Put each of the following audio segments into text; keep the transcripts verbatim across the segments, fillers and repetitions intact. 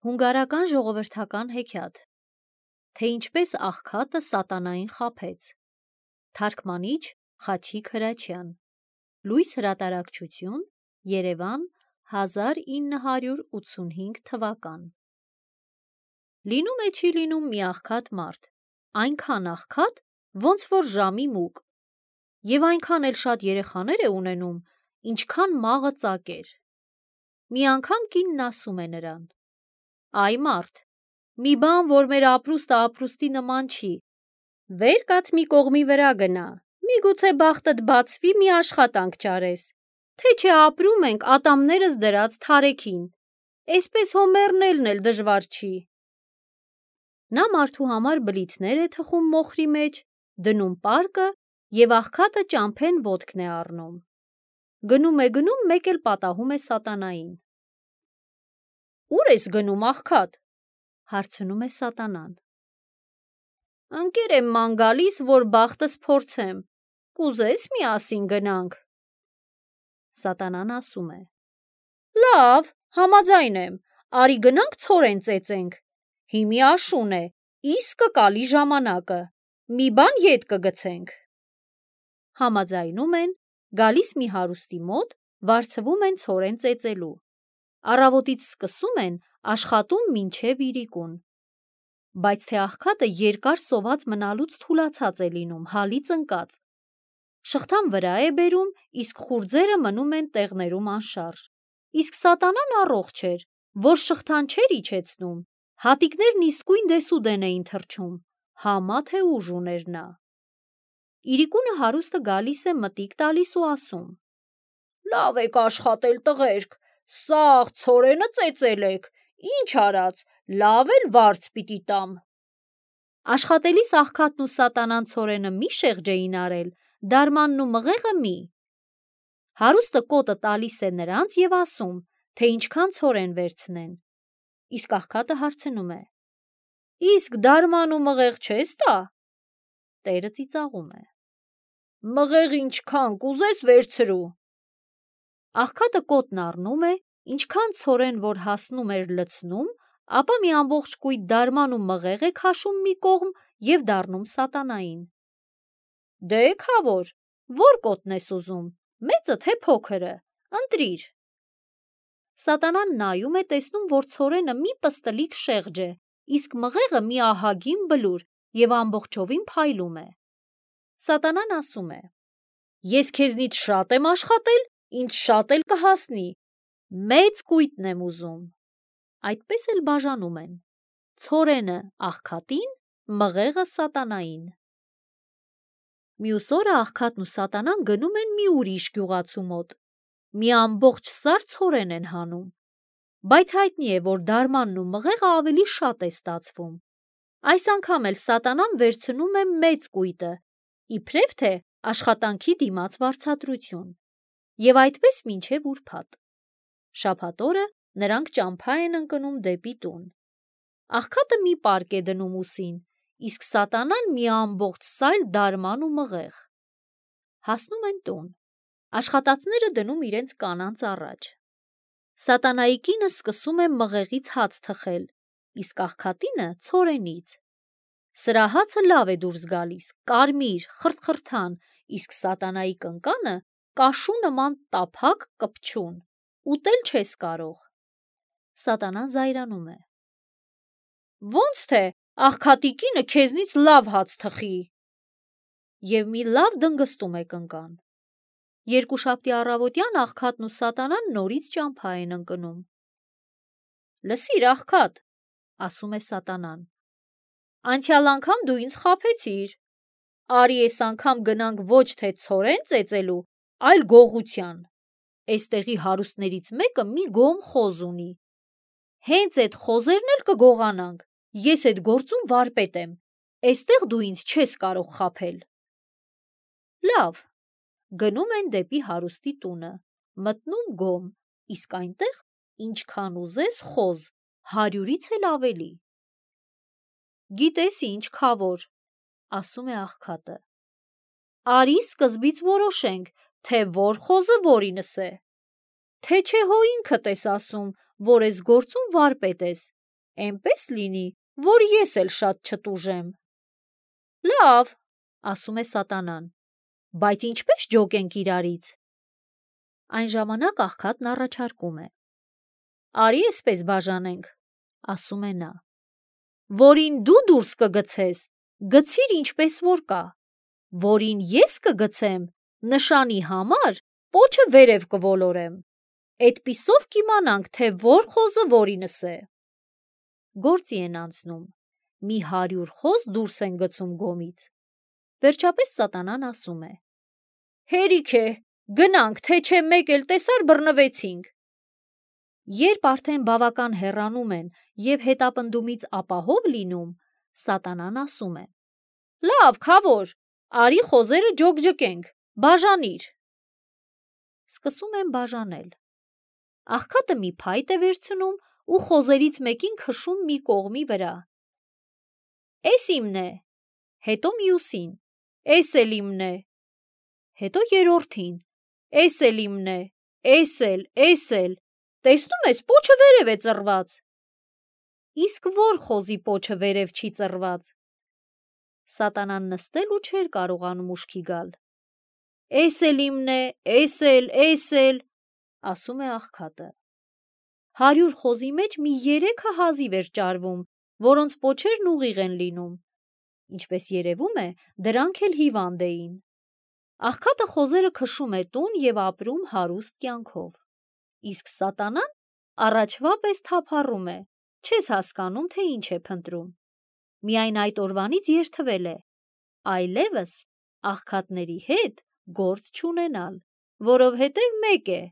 Հունգարական ժողովրդական հեքիաթ, թե ինչպես աղքատը սատանային խաբեց, թարգմանիչ Խաչիկ Հրաչյան, լույս հրատարակչություն, Երևան, հազար ինը հարյուր ութսունհինգ թվական։ Լինում է չի լինում մի աղքատ մարդ, այնքան աղքատ, ոնց որ ժամի մուկ, և այնքան էլ շատ երեխաներ է ունենում, ինչքան մաղը ծակեր։ Մի անգամ կինն ասում է նրան. «Այ մարդ, մի բան, որ մեր ապրուստը ապրուստի նման չի, վեր կաց մի կողմի վրա գնա, միգուցե բախտդ բացվի, մի աշխատանք ճարես, թե չէ ապրում ենք ատամներս դրած թարեքին, էսպես հո մեռնելն էլ դժվար չի»։ Նա մարդու համար բլիթներ է թխում մոխրի մեջ, դնում պարկը և աղքատը ճամփեն ոտքն է առնում։ Գնում է գնում, մեկ էլ պատահում է սատանային։ «Ո՞ւր ես գնում, աղքատ», հարցնում է սատանան։ «Ընկեր եմ ման գալիս, որ բախտս փորձեմ, կուզե՞ս միասին գնանք»։ Սատանան ասում է. «Լավ, համաձայն եմ, արի գնանք ցորեն ծեծենք, հիմի աշուն է, իսկը կալի ժամանակը, մի բան ետ կգցենք»։ Համաձայնում են, գալիս մի հարուստի մոտ, վարձվում են ցորեն ծեծելու։ Առավոտից սկսում են, աշխատում մինչև իրիկուն։ Բայց թե աղքատը երկար սոված մնալուց թուլացած է լինում, հալից ընկած։ Շղթան վրա է բերում, իսկ խուրձերը մնում են տեղներում անշարժ։ Իսկ սատանան առողջ էր, որ շղթան չէր իջեցնում, հատիկներն իսկույն դեսուդեն էին թռչում, համա թե ուժ ուներ նա։ Իրիկունը հարուստը գալիս է մտիկ տալիս ու ասում. «Լավ եք աշխատել, տղերք, սաղ ցորենը ծեծել եք, ինչ արած, լավ էլ վարձ պիտի տամ»։ Աշխատելիս աղքատն ու սատանան ցորենը մի շեղջ էին արել, դարմանն ու մղեղը մի։ Հարուստը կոտը տալիս է նրանց և ասում, թե ինչքան ցորեն վերցնեն։ Իսկ աղքատը հարցնում է. «Իսկ դարման ու մղեղ չես տա»։ Տերը ծիծաղում է. «Մղեղ ինչքան կուզես վերցրու»։ Աղքատը կոտն առնում է, ինչքան ցորեն որ հասնում էր լցնում, ապա մի ամբողջ կույտ դարման ու մղեղ է քաշում մի կողմ և դառնում սատանային։ «Դե քավոր, ո՞ր կոտն ես ուզում, մեծը թե փոքրը, ընտրիր»։ Սատանան նայում է, տեսնում, որ ցորենը մի պստլիկ շեղջ է, իսկ մղեղը մի ահագին բլուր և ամբողջովին փայլում է։ Սատանան ասում է. «Ես քեզնից շատ եմ աշխատել, ինձ շատ էլ կհասնի, մեծ կույտն եմ ուզում»։ Այդպես էլ բաժանում են. ցորենը աղքատին, մղեղը սատանային։ Մյուս օրը աղքատն ու սատանան գնում են մի ուրիշ գյուղացու մոտ, մի ամբողջ սար ցորեն են հանում, բայց հայտնի է, որ դարմանն ու մղեղը ավելի շատ է ստացվում։ Այս անգամ էլ սատանան վերցնում է մեծ կույտը, իբրև թե աշխատանքի դիմաց վարձատրություն։ Եվ այդպես մինչև ուրբաթ։ Շաբաթ օրը նրանք ճամփա են ընկնում դեպի տուն։ Աղքատը մի պարկ է դնում ուսին, իսկ սատանան մի ամբողջ սայլ դարման ու մղեղ։ Հասնում են տուն։ Աշխատածները դնում իրենց կանանց առաջ։ Սատանայի կինը սկսում է մղեղից հաց թխել, իսկ աղքատինը ցորենից։ Սրա հացը լավ է դուրս գալիս, կարմիր, խրթխրթան, իսկ սատանայի կնկանը կաշու նման տափակ, կպչուն, ուտել չես կարող։ Սատանան զայրանում է. «Ոնց թե աղքատի կինը քեզնից լավ հաց թխի»։ Եվ մի լավ դնգստում է կնկան։ Երկուշաբթի առավոտյան աղքատն ու սատանան նորից ճամփա են ընկնում։ «Լսիր, աղքատ», ասում է սատանան, «անցյալ անգամ դու ինձ խաբեցիր, արի էս անգամ գնանք ոչ թե ցորեն ծեծելու, այլ գողության։ Էստեղի հարուստներից մեկը մի գոհմ խոզ ունի։ Հենց էդ խոզերն էլ կգողանանք, ես էդ գործում վարպետ եմ, էստեղ դու ինձ չես կարող խաբել»։ Լավ, գնում են դեպի հարուստի տունը, մտնում գոմ, իսկ այնտեղ ինչքան ուզես խոզ, հարյուրից էլ ավելի։ «Գիտես ինչ, քավոր», ասում է աղքատը, «արի սկզբից որոշենք, թե որ խոզը որինս է։ Թե չէ հո ինքդ ես ասում, որ էս գործում վարպետ ես, Էնպես լինի, որ ես էլ շատ չտուժեմ։ Լավ, ասում է սատանան, բայց ինչպես ջոկենք իրարից։ Այն ժամանակ աղքատն առաջարկում է. Արի էսպես բաժանենք, ասում է նա, որին դու դուրս կգցես, գցիր ինչպես որ կա, որին ես կգցեմ, նշանի համար պոչը վերև կոլորեմ, էդպիսով կիմանանք, թե որ խոզը որինս է։ Գործի են անցնում, մի հարյուր խոզ դուրս են գցում գոմից։ Վերջապես սատանան ասում է. Հերիք է, գնանք, թե չէ մեկ էլ տեսար բռնվեցինք։ Երբ արդեն բավական հեռանում են և հետապնդումից ապահով լինում, սատանան ասում է. Լավ, քավոր, արի խոզերը ջոկջկենք, բաժանիր։ Սկսում են բաժանել։ Աղքատը մի փայտ է վերցնում ու խոզերից մեկին քշում մի կողմի վրա։ Էս իմն է, հետո մյուսին, էս էլ իմն է, հետո երրորդին, էս էլ իմն է, էս էլ, էս էլ, տեսնում ես, պոչը վերև է ծռված։ Իսկ որ խոզի պոչը վերև չի ծռված։ Սատանան նստել ու չէր կարողանում ուշքի գալ։ Էս էլ իմն է, էս էլ, էս էլ, ասում է աղքատը։ Հարյուր խոզի մեջ մի երեքը հազիվ էր ճարվում, որոնց պոչերն ուղիղ են լինում։ Ինչպես երևում է, դրանք էլ հիվանդ էին։ Աղքատը խոզերը քշում է տուն և ապրում հարուստ կյանքով։ Իսկ սատանան առաջվա պես թափառում է, չես հասկանում, թե ինչ է փնտրում։ Միայն այդ օրվանից երդվել է այլևս աղքատների հետ գործ չունենալ, որովհետև մեկ է,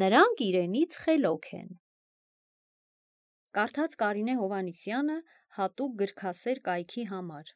նրանք իրենից խելոք են։ Կարդաց Կարինե Հովհաննիսյանը հատուկ գրքասեր կայքի համար։